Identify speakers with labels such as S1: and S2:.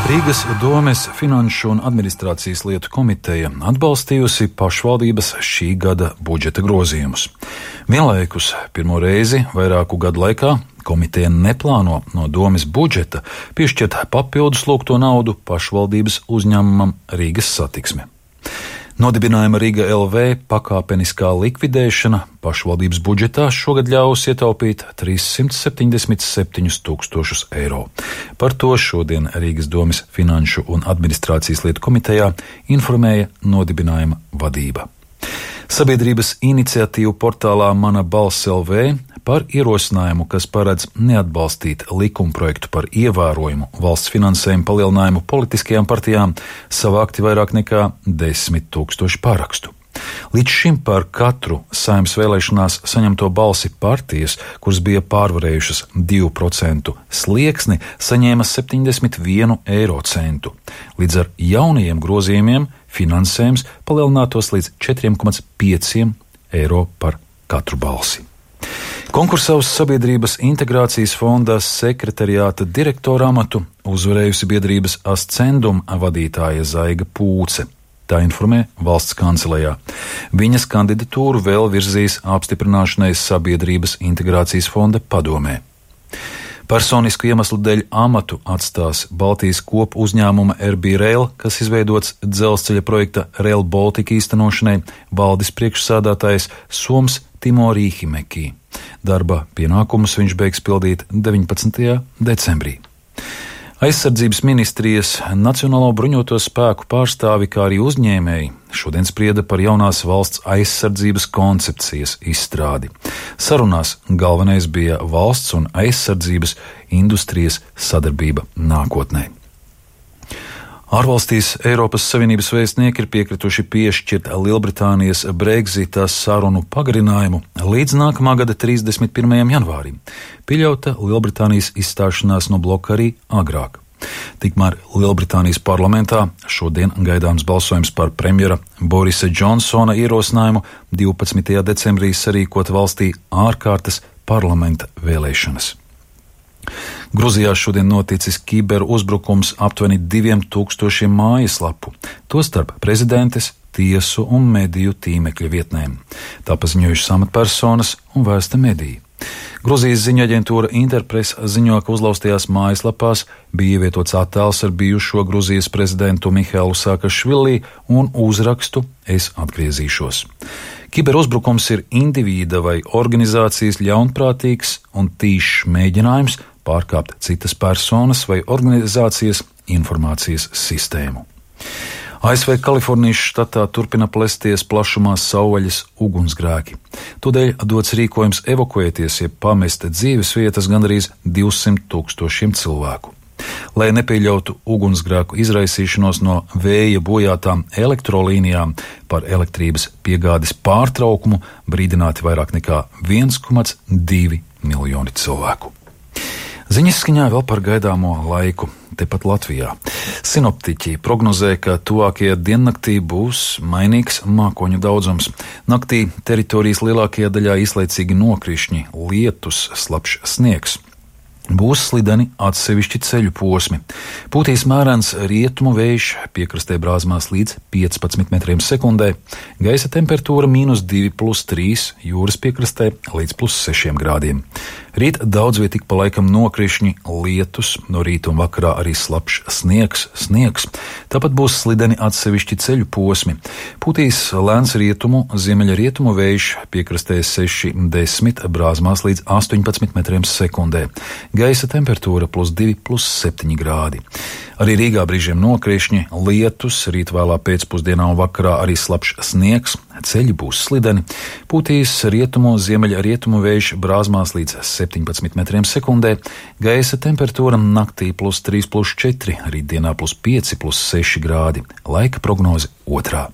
S1: Rīgas domes Finanšu un administrācijas lietu komiteja atbalstījusi pašvaldības šī gada budžeta grozījumus. Vienlaikus pirmo reizi vairāku gadu laikā komiteja neplāno no domes budžeta piešķirt papildus lūgto naudu pašvaldības uzņēmumam Rīgas Satiksme. Nodibinājuma Rīga LV pakāpeniskā likvidēšana pašvaldības budžetā šogad ļaus ietaupīt 377 000 eiro. Par to šodien Rīgas domes Finanšu un administrācijas lietu komitejā informēja nodibinājuma vadība. Sabiedrības iniciatīvu portālā Mana balss LV par ierosinājumu, kas paredz neatbalstīt likumprojektu par ievērojumu valsts finansējumu palielinājumu politiskajām partijām, savākti vairāk nekā 10 000 parakstu. Līdz šim par katru Saeimas vēlēšanās saņemto balsi partijas, kuras bija pārvarējušas 2% slieksni, saņēma 71 eiro centu. Līdz ar jaunajiem grozījumiem finansējums palielinātos līdz 4,5 eiro par katru balsi. Konkursā uz Sabiedrības integrācijas fonda sekretariāta direktora amatu uzvarējusi biedrības Ascendum vadītāja Zaiga Pūce. Tā informē valsts kancelejā. Viņas kandidatūru vēl virzīs apstiprināšanai Sabiedrības integrācijas fonda padomē. Personisku iemeslu dēļ amatu atstās Baltijas kopu uzņēmuma RB Rail, kas izveidots dzelzceļa projekta Rail Baltica īstenošanai, valdes priekšsēdētājs Soms Timo Rīhimekī. Darba pienākumus viņš beigs pildīt 19. decembrī. Aizsardzības ministrijas Nacionālo bruņoto spēku pārstāvi, kā arī uzņēmēji, šodien sprieda par jaunās valsts aizsardzības koncepcijas izstrādi. Sarunās galvenais bija valsts un aizsardzības industrijas sadarbība nākotnē. Ārvalstīs Eiropas Savienības vēstnieki ir piekrituši piešķirt Lielbritānijas Brexita sarunu pagarinājumu līdz nākamā gada 31. janvārim. Pieļauta Lielbritānijas izstāšanās no bloka arī agrāk. Tikmēr Lielbritānijas parlamentā šodien gaidāms balsojums par premjera Borisa Džonsona ierosinājumu 12. decembrī sarīkot valstī ārkārtas parlamenta vēlēšanas. Gruzijā šodien noticis kiberuzbrukums aptuveni 2000 mājaslapu, tostarp prezidentes, tiesu un mediju tīmekļa vietnēm. Tā paziņojušas amatpersonas un vēsta mediji. Gruzijas ziņu aģentūra Interpress ziņo, ka uzlaustajās mājaslapās bija ievietots attēls ar bijušo Gruzijas prezidentu Mihailu Saakašvili un uzrakstu "Es atgriezīšos". Kiberuzbrukums ir indivīda vai organizācijas ļaunprātīgs un tīšs mēģinājums pārkāpt citas personas vai organizācijas informācijas sistēmu. ASV Kalifornijas štatā turpina plesties plašumā savvaļas ugunsgrēki. Tādēļ dots rīkojums evakuēties, jeb pamest dzīves vietas gandrīz 200 000 cilvēku. Lai nepieļautu ugunsgrēku izraisīšanos no vēja bojātām elektrolīnijām, par elektrības piegādes pārtraukumu brīdināti vairāk nekā 1,2 miljoni cilvēku. Ziņas skaņā vēl par gaidāmo laiku tepat Latvijā. Sinoptiķi prognozē, ka tuvākajā diennaktī būs mainīgs mākoņu daudzums. Naktī teritorijas lielākajā daļā īslaicīgi nokrišņi, lietus, slapjš sniegs. Būs slideni atsevišķi ceļu posmi. Pūtīs mērens rietumu vējš, piekrastē brāzmās līdz 15 metriem sekundē, gaisa temperatūra -2+3, jūras piekrastē līdz +6 grādiem. Rīt daudz viet tik pa laikam nokrišņi, lietus, no rīta un vakarā arī slapjš sniegs. Tāpat būs slideni atsevišķi ceļu posmi. Pūtīs lēns rietumu, ziemeļrietumu vējš, piekrastē 6-10, brāzmās līdz 18 metriem sekundē. Gaisa temperatūra +2+7 grādi. Arī Rīgā brīžiem nokrišņi, lietus, rīt vēlā pēcpusdienā un vakarā arī slapjš sniegs, ceļi būs slideni. Pūtīs rietumu, ziemeļrietumu vējš, brāzmās līdz 17 metriem sekundē. Gaisa temperatūra naktī +3+4, rītdienā +5+6 grādi. Laika prognoze 2.